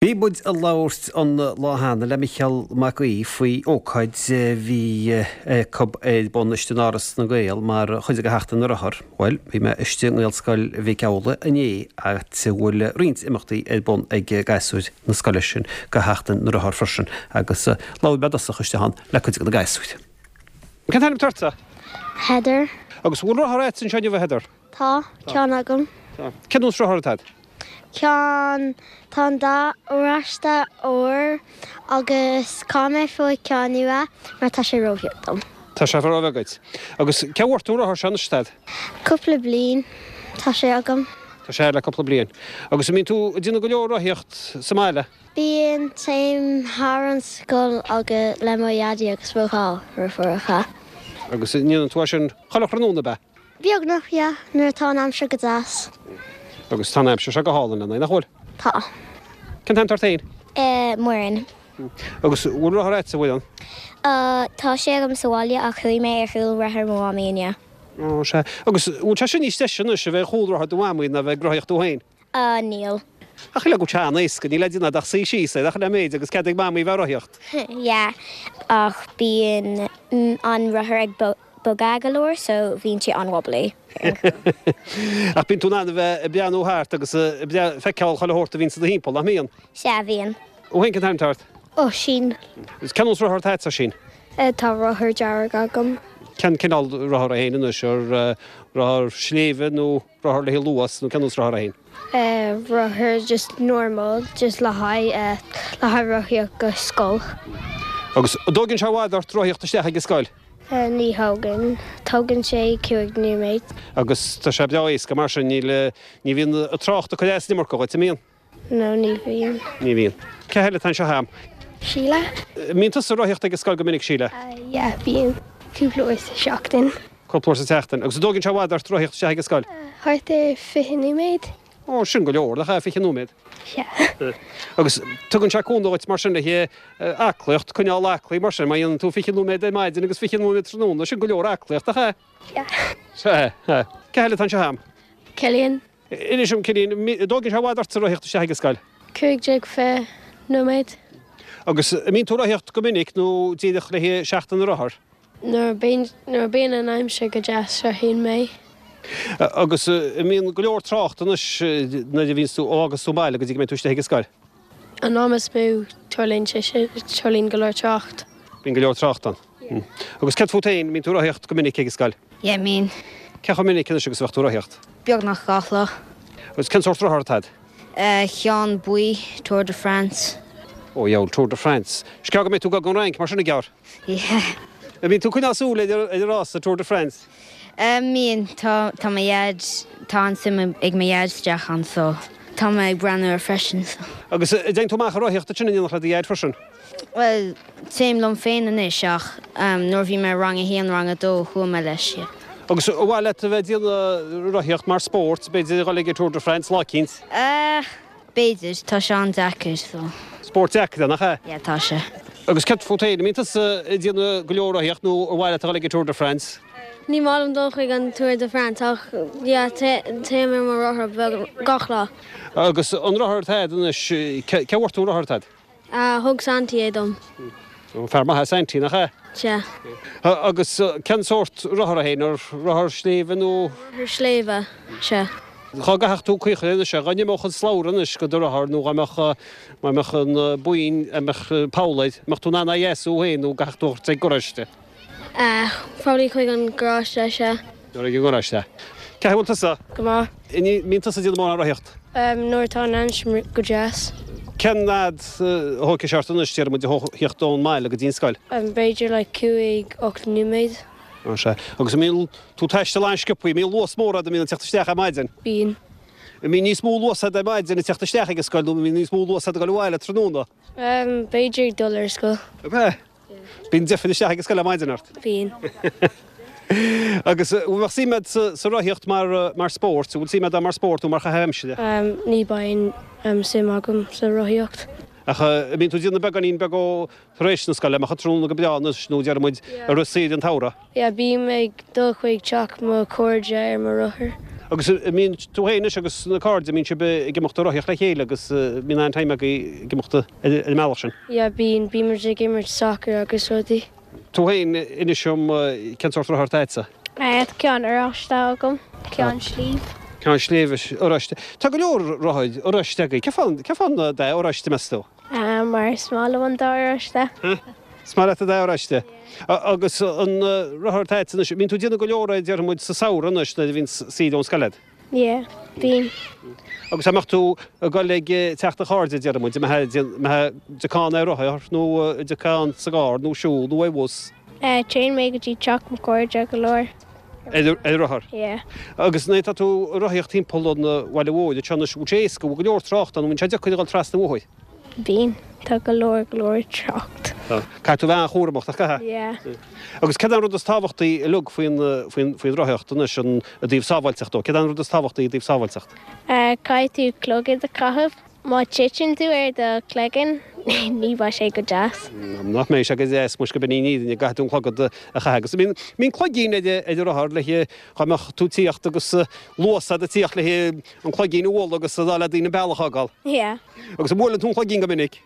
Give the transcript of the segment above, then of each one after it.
Bhí muid ag labhairt an lá cheana le Micheál Mac Aoidh faoi ócáid a bhí acu ar bun istigh in Áras na nGael mar chuid de Sheachtain na Rothar. Bhuel, bhí mé istigh i nGaelscoil Mhic Amhlaigh inné, áit a bhfuil roinnt imeachtaí ar bun ag gasúir na scoile sin do Sheachtain na Rothar freisin, agus labhair mé i dtosach istigh ann le cuid de na gasúir. Cén t-ainm atá ortsa? Heather. Agus bhfuil rothar agat anseo inniu, a Heather? Tá ceann agam. Tá. Cén nós rothar atá agat? Ceann, tá an dath oráiste óir agus caithfidh mé fáil ceann nua mar tá sé róbheag dom. Tá sé róbheag duit. Agus cé bhfuair tú an rothar seo anois, a Dhaid? Cúpla bliain tá sé agam. Tá sé le cúpla bliain. Agus an mbíonn tú ag déanamh go leor rothaíocht sa mbaile? Bíonn, téim thar an scoil agus le mo dhaidí agus mo dhá dheirfiúracha. Agus an ndéanann tú é sin chuile thráthnóna, ab ea? Beagnach, yeah, nuair atá an aimsir go deas. Agus tá an aimsir seo go hálainn lena aghaidh, nach bhfuil? Tá. Cén t-ainm atá ort féin? Eh, Muireann. Agus bhfuil rothar agatsa, a Mhuireann? Uh, tá sé agam sa bhaile ach chuaigh mé ar chúl rothar mo mhamaí inniu. Ó, sea. Agus bhfuil sé sin níos deise anois, a bheith ar chúl rothar do mhamaí ná a bheith ag rothaíocht tú féin? Uh, níl. Ach shílfeá go bhfuil sé an-éasca, níl le déanamh ach suí síos air, ach le méid agus cead ag mamaí a bheith ag rothaíocht. Yeah, ach bíonn an rothar ag bogadh go leor so bíonn sé an-wobbly. Ach bíonn tú in ann a bheith ag breathnú thart agus ag feiceáil chuile shórt a bhíonn i do thimpeall, nach mbíonn? Sea, bhíonn. Thú féin, cén t-ainm atá ort? Oisín. Agus cén nós rothar atá agatsa, Oisín? Tá rothar dearg agam. Cén cineál rothar é féin anois? Rothar sléibhe nó rothar le haghaidh luas nó cén nós rothar é féin? Rothar just normal, just le haghaidh le haghaidh rothaíocht go scoil. Agus an dtóigeann sé i bhfad ort rothaíocht isteach ag an scoil? Ní thógann. Tógann sé 5 nóiméad. Agus tá sé breá éasca mar sin, níl, ní bhíonn an trácht ag cur as an iomarca dhuit, an mbíonn? No, ní bhíonn. Ní bhíonn. Cé heile atá anseo a'm? Síle. An mbíonn tusa ag rothaíocht ag an scoil go minic, Síle? Yeah, bíonn. Cúpla uair sa seachtain. Cúpla uair sa tseachtain. Agus an dtóigeann sé i bhfad ort rothaíocht isteach ag an scoil? Thart ar 20 nóiméad. Ó, sin go leor, nach ea, 20 nóiméad? Sea. Agus tugann sé cúnamh dhuit mar sin le haghaidh aclaíocht, coinneáil aclaí mar sin, má dhéanann tú 20 nóiméad ar maidin agus 20 nóiméad tráthnóna, sin go leor aclaíocht, nach ea? Sea. Sea. Cé eile atá anseo a'm? Cillian. Inis dom, Cillian, an dtóigeann sé i bhfad ortsa rothaíocht isteach ag an scoil? 15, 20 nóiméad. Agus an mbíonn tú ag rothaíocht go minic nó díreach le haghaidh Seachtain na Rothar? Nuair a bíonn an aimsir go deas, rothaíonn mé. Agus an mbíonn go leor trácht anois nuair a bhíonns tú, ó fhágas tú an baile go dtí go mbeidh tú istigh ag an scoil? An am is mó, tarlaíonn sé sin, tarlaíonn go leor trácht. Bíonn go leor trácht ann. Agus céard fút féin, mbíonn tú ag rothaíocht go minic ag an scoil? Yeah, mbíonn. Cé chomh minic anois agus a bheadh tú ag rothaíocht? Beagnach gach lá. Agus cén sórt rothar atá agat? Ceann buí, Tour de France. Ó, dheabhail, Tour de France. Is gearr go mbeidh tú ag dul don Fhrainc mar sin, a gearr. Yeah. An mbíonn tú ag coinneáil súil ar an rása Tour de France? Mbíonn. Tá, tá mo dhaid, tá an-suim ag mo dhaid isteach ann so tá mé ag breathnú air freisin so. Agus an dtéann tú amach ag rothaíocht ansin in éineacht le do dhaid freisin? Bhuel, téim liom féin anois ach nuair a bhí mé rang a haon, rang a dó, chuaigh mé leis, yeah. Agus ar mhaith leat a bheith ag déanamh rothaíocht mar spórt, b'fhéidir a dhul ag an Tour de France lá eicínt? Eh. B'fhéidir, tá sé an-deacair so. Spórt deacair é, nach ea? Yeah, tá sé. Agus céard fút féin, an mbíonn tusa ag déanamh go leor rothaíocht nó ar mhaith leat a dhul ag an Tour de France? Ní maith liom dul chuig an Tour de France ach yeah, téim ar mo rothar beag gach lá. Agus an rothar atá agat anois, cé bhfuair tú an rothar atá agat? Thug Santy é dom. Fear maith é Santy, nach ea? Sea. Agus cén sórt rothar é féin? Rothar sléibhe nó? Rothar sléibhe, sea. Dhá gcaithfeadh tú caoi a chur anois, dhá n-imeodh an slabhra anois go do rothar nó dhá mbeadh, má mbeadh an boinn, a mbeadh poll air, mbeadh tú in ann é a dheasú féin nó gcaithfeadh tú a thabhairt ag garáiste? Probably chuig an garáiste, sea. Nuair ag an ngaráiste. Cén chaoi a bhfuil tusa? Go maith. An mbíonn tusa ag déanamh mórán rothaíocht? Nuair atá an aimsir go deas. Cén fhad a thógfaidh sé ort anois, déarfaidh muid, a theacht ón mbaile go dtí an scoil? B'fhéidir like 5, 8 nóiméad. Ó sea. Agus an mbíonn tú ag taisteal an-sciobthaí, an mbíonn luas mór agat an mbíonn ag teacht isteach ar maidin? Bíonn. An mbíonn níos mó luas agat ar maidin ag teacht isteach ag an scoil nó an mbíonn níos mó luas agat ag dul abhaile tráthnóna? B'fhéidir ag dul ar scoil. Ab ea? Bíonn deifir isteach ag an scoil ar maidin ort? Bíonn. Agus an bhfuil suim agat sa rothaíocht mar spórt? An bhfuil suim agat mar spórt nó mar chaitheamh aimsire? Ní bíonn suim agam sa rothaíocht. Ach an mbíonn tú ag déanamh beagáinín beag dó tar éis na scoile, amach an tráthnóna go breá anois nó déarfaidh muid i rith saoire an tsamhraidh? Yeah, bím ag dul chuig teach mo chairde ar mo rothar. Agus an mbíonn tú féin anois agus na cairde, an mbíonn sibh ag imeacht ag rothaíocht le chéile agus mbíonn an-time agaibh ag imeacht ar an mbealach sin? Yeah, bíonn. Bíonn muid ag imirt soccer agus rudaí. Tú féin, inis dom, cén sórt rothar atá agatsa? Tá ceann oráiste agam, ceann sléibhe. Ceann sléibhe oráiste. Tá go leor rothair oráiste agaibh. Cén fáth, cén fáth an dath oráiste, meas tú? Mar is maith liom an dath oráiste. Is maith leat an dath oráiste. Agus an rothar atá agatsa anois, bíonn tú ag déanamh go leor é, déarfaidh muid, sa samhradh anois nuair a bhíonn saoire ón scoil agat? Yeah, bíonn. Agus dá mbeadh tú ag dul ag teach do chairde, déarfaidh muid, an mbeifeá ag dul ar rothar nó ag dul sa gcarr nó siúl nó ar bhus? Téann mé go dtí teach mo chairde go leor. Ar rothar? Yeah. Agus nuair atá tú ag rothaíocht timpeall an bhaile mhóir anseo anois, bhfuil sé éasca, bhfuil go leor trácht ann, an mbíonn sé deacair a dhul trasna an bhóthair? Bíonn. Tá go leor, go leor trácht. Tá. Caithfidh tú a bheith an-chúramach, nach gcaithfidh? Yeah. Agus céard é an rud is tábhachtaí uilig faoin, faoin, faoin rothaíocht anois, an, i dtaobh sábháilteacht dó? Céard é an rud is tábhachtaí i dtaobh sábháilteacht? Caithfidh tú clogad a chaitheamh. Má titeann tú ar do chloigeann, ní bheidh sé go deas. Nach mbeidh sé go deas, muis go b'in í an fhírinne, go gcaithfidh tú an clogad a chaitheamh. Agus bíonn, bíonn cloigín ar, ar an rothar le, dhá mbeadh tú ag tíocht agus luas a'd ag tíocht le an cloigín a bhualadh agus a rá le daoine an bealach a fhágáil. Yeah. Agus an mbuaileann tú an cloigín go minic?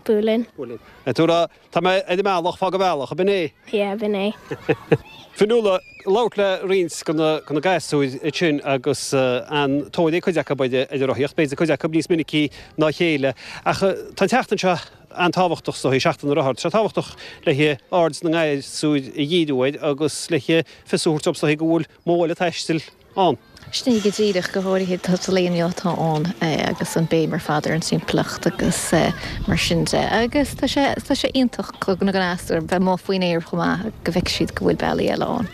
Buaileann. Buaileann. Tú ag rá, tá mé ar an mbealach, fág an bealach, ab in é? Yeah, b'in é. Fionnuala, labhairt le roinnt de na gasúir ansin agus an-tóir ag cuid acu ar an rothaíocht, b'fhéidir cuid acu níos minicí ná a chéile. Ach tá an tseachtain seo an-tábhachtach is dóigh, Seachtain na Rothar. Tá sé tábhachtach le aird na ngasúr a dhíriú air agus le fios a thabhairt dóibh is dóigh go bhfuil modh eile taistil ann. Sin é go díreach, go háirithe sa lá inniu atá ann agus an béim ar fad ar an timpeallacht agus mar sin de. Agus tá sé, tá sé iontach do na gasúir bheith amuigh faoin aer chomh maith, go bhfeicfidh siad go bhfuil bealaí eile ann.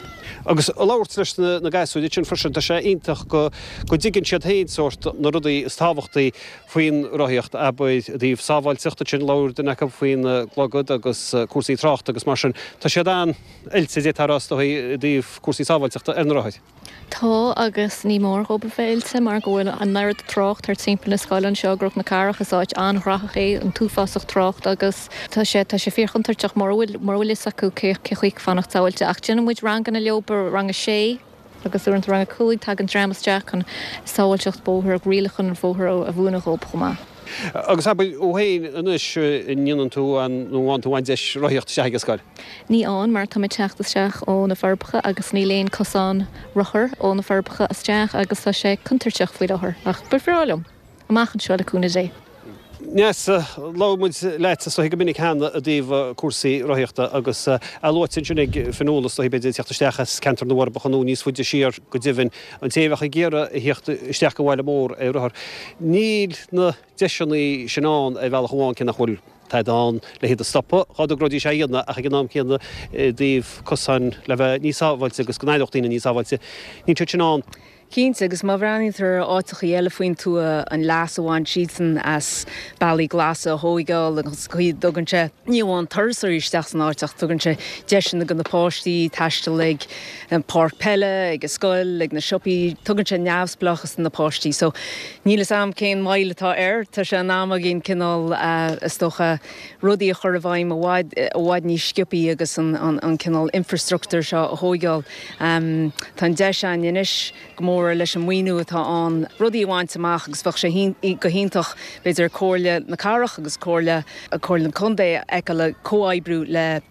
Agus ag labhairt leis na gasúir ansin freisin, tá sé iontach go go dtuigeann siad féin sórt na rudaí is tábhachtaí faoin rothaíocht, abair, i dtaobh sábháilteacht ansin, labhair duine acu faoin gclogad agus cúrsaí tráchta agus mar sin. Tá siad an-oilte, d'fhéadfá a rá, is dóigh, i dtaobh cúrsaí sábháilteachta ar na rothair. Tá, agus ní mór dhóibh a bheith oilte mar go bhfuil an oiread trácht thart timpeall na scoile anseo i gCnoc na Cathrach. Is áit an-ghnóthach é, an t-uafásach trácht agus tá sé, tá sé fíorchontúirteach mura bhfuil, mura bhfuil fhios acu cé, cé chaoi fanacht sábháilte. Ach déanann muid ranganna leo, rang a sé agus uaireanta rang a 5, tagann dream isteach chun sábháilteacht bóthair, rialacha an bhóthair a mhúineadh dhóibh chomh maith. Agus abair thú féin anois, an ndéanann tú an, nó an bhfaigheann tú an deis rothaíocht isteach ag an scoil? Ní fhaigheann, mar tá mé ag teacht isteach ó na Forbacha agus níl aon cosán rothar ó na Forbacha isteach agus tá sé contúirteach faoi láthair. Ach ba bhreá liom, amach anseo le cúnamh Dé. Neasa, labhair muid leat is dóigh go minic cheana i dtaobh cúrsaí rothaíochta agus é luaite ansin ag Fionnuala is dóigh b'fhéidir ag teacht isteach as ceantar na bhForbacha nó níos faide siar go deimhin, an té a bheadh ag iarraidh a theacht isteach go bhaile mór ar rothar. Níl na deiseanna sin ann ar bhealach amháin cé nach bhfuil tada ann le hiad a stopadh dhá dtogróidís é a dhéanamh ach ag an am céanna i dtaobh cosáin le bheith níos sábháilte agus go n-éireodh daoine níos sábháilte, níl siad sin ann. Cinnte, agus má bhreathnaíonn tú ar áiteachaí eile faoin tuath, an leas a bhain siadsan as bealaí glasa a thóigeáil agus an chaoi a dtugann sé ní amháin turasóirí isteach san áit ach tugann sé deiseanna do na páistí taisteal ag an páirc peile, ag an scoil, ag na siopaí, tugann sé neamhspleáchas do na páistí. So, níl 'fhios a'm cén mhoill atá air, tá sé in am againn cineál, is dócha, rudaí a chur i bhfeidhm i bhfad, i bhfad níos sciobthaí agus an, an cineál infrastruchtúr seo a thóigeáil. Tá an deis againn anois, go mór leis an maoiniú atá ann, rudaí a bhaint amach agus bheadh sé go hiontach, b'fhéidir, Comhairle na Cathrach agus Comhairle, Comhairle an Chontae a fheiceáil ag comhoibriú le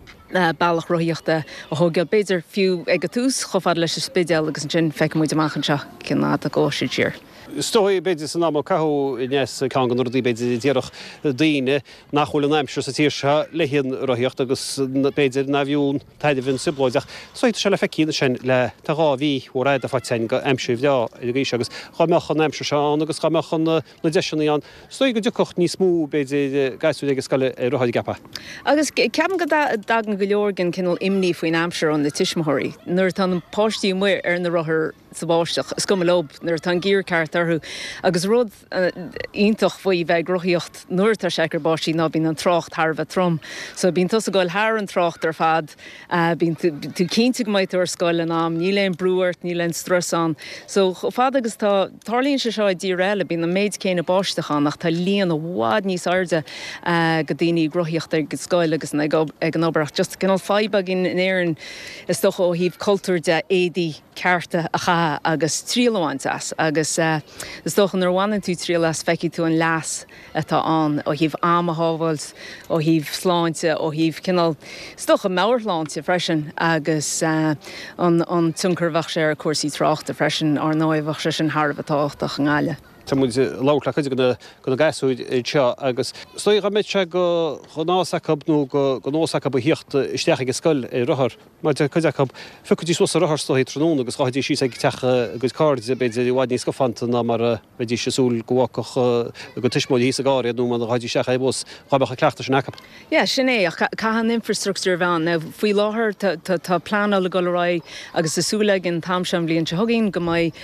bealach rothaíochta a thóigeáil, b'fhéidir fiú ag an tús chomh fada leis an Spidéal agus ansin feicfidh muid amach anseo cén fhad a ghabhfaidh siad siar. Is dóigh, b'fhéidir, san am a caitheadh Neasa, ceann de na rudaí, b'fhéidir, a déarfadh daoine nach bhfuil an aimsir sa tír seo le haghaidh an rothaíocht agus b'fhéidir nárbh fhiú an tairbhe an trioblóid ach is dóigh tá sé le feiceáil ansin le tá 2 mhí mhór fhada faighte againn go aimsir bhreá ar an gcaoi seo agus dhá mbeadh an aimsir seo ann agus dhá mbeadh an na deiseanna ann is dóigh go dtiocfadh níos mó b'fhéidir gasúir ag an scoil ar rothair an gceapfá? Agus ceapaim go dtagann go leor den cineál imní faoin aimsir ó na tuismitheoirí nuair atá na páistí amuigh ar na rothair sa bháisteach, is cuma leo nuair atá an gear ceart orthu. Agus rud iontach faoi bheith ag rothaíocht nuair atá sé ag cur báistí ná bíonn an trácht thar a bheith trom. So bíonn tusa ag goil thar an trácht ar fad, bíonn tú cinnte go mbeidh tú ar scoil in am, níl aon brú ort, níl aon strus ann. So chomh fada agus tá, tarlaíonn sé seo i dtíortha eile, bíonn an méid céanna báisteach ann ach tá líon i bhfad níos airde go daoine ag rothaíocht ag an scoil agus ag an obair ach just cineál fadhb againn in Éirinn is dócha ó thaobh cultúir de, éadaí cearta a chaitheamh. agus triail a bhaint as. Agus is dócha nuair a bhaineann tú triail as feicfidh tú an leas atá ann ó thaobh am a shábháilt, ó thaobh sláinte, ó thaobh cineál, is dócha meabhairshláinte freisin agus an tionchar a bheadh sé ar chúrsaí tráchta freisin, ár ndóigh, bheadh sé sin thar a bheith tábhachtach i nGaillimh. Tá muid ag labhairt le cuid de na gasúir anseo agus is dóigh dá mbeadh sé de ghnás acu nó de nós acu a thíocht isteach ag an scoil ar rothar, mar deir cuid acu, phiocfaidís suas an rothar is dóigh tráthnóna agus ghabhfaidís síos ag teach a gcuid cairde, b'fhéidir, i bhfad níos scafánta ná mar a bheidís ag súil go bhfágfadh a gcuid tuismitheoirí thíos i gcarr iad nó mar a ghabhfaidís isteach ar bhus, dá mbeadh an cleachtadh sin acu. Yeah, sin é, ach caithfidh an infrastructure a bheith ann. Now, faoi láthair tá pleanáil ag dul ar aghaidh agus tá súil againn an t-am seo an bhliain seo chugainn go mbeidh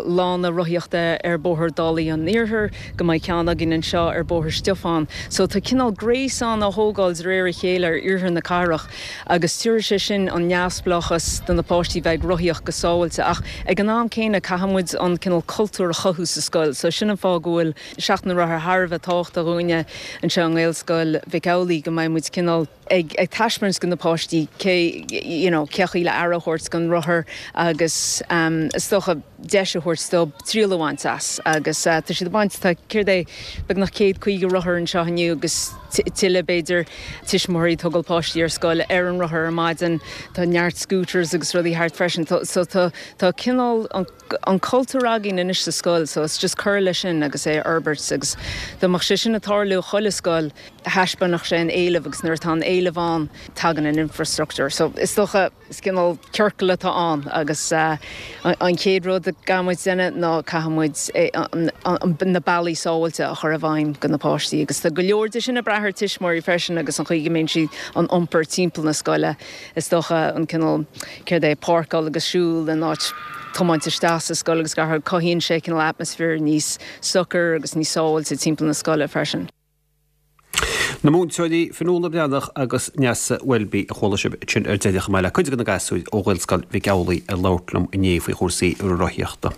lána rothaíochta ar Bhóthar Dálaí an Iarthair, go mbeidh ceann againn anseo ar Bhóthar Stiofáin. So tá cineál gréasán á thógáil de réir a chéile ar iarthar na cathrach agus tabharfaidh sé sin an neamhspleáchas do na páistí bheith ag rothaíocht go sábháilte ach ag an am céanna caithfidh muid an cineál cultúr a chothú sa scoil. So sin an fáth go bhfuil Seachtain na Rothar thar a bheith tábhachtach dhúinne anseo i nGaelscoil Mhic Amhlaigh go mbeidh muid cineál ag taispeáint do na páistí cé you know cé chaoi le aire a thabhairt don rothar agus is dócha deis a thabhairt dóibh triail a bhaint as agus tá siad ag baint tá céard é beagnach 150 rothar anseo inniu agus tuilleadh b'fhéidir tuismitheoirí ag tógáil páistí ar scoil ar an rothar ar maidin tá neart scooters agus rudaí thart freisin so tá tá cineál an an cultúr againn anois sa scoil so it's just cur leis sin agus é a fhorbairt agus dá mbeadh sé sin ag tarlú i chuile scoil thaispeánfadh sé an éileamh agus nuair atá an éileamh ann tagann an infrastructure so is dócha is cineál ciorcal atá ann agus an chéad rud a gcaithfidh muid déanamh ná caithfidh muid na bealaí sábháilte a chur i bhfeidhm do na páistí agus tá go leor de sin ag brath ar tuismitheoirí freisin agus an chaoi go mbíonn siad á n-iompar timpeall na scoile. Is dócha an cineál, céard é, páirceáil agus siúl in áit tiomáint isteach sa scoil agus gach rud, cothaíonn sé cineál atmaisféar níos socair agus níos sábháilte timpeall na scoile freisin. Na múinteoirí Fionnuala Breathnach agus Neasa Welby a chuala sibh ansin ar deireadh, chomh maith le cuid de na gasúir ó Ghaelscoil Mhic Amhlaigh ag labhairt liom inné faoi chúrsaí rothaíochta.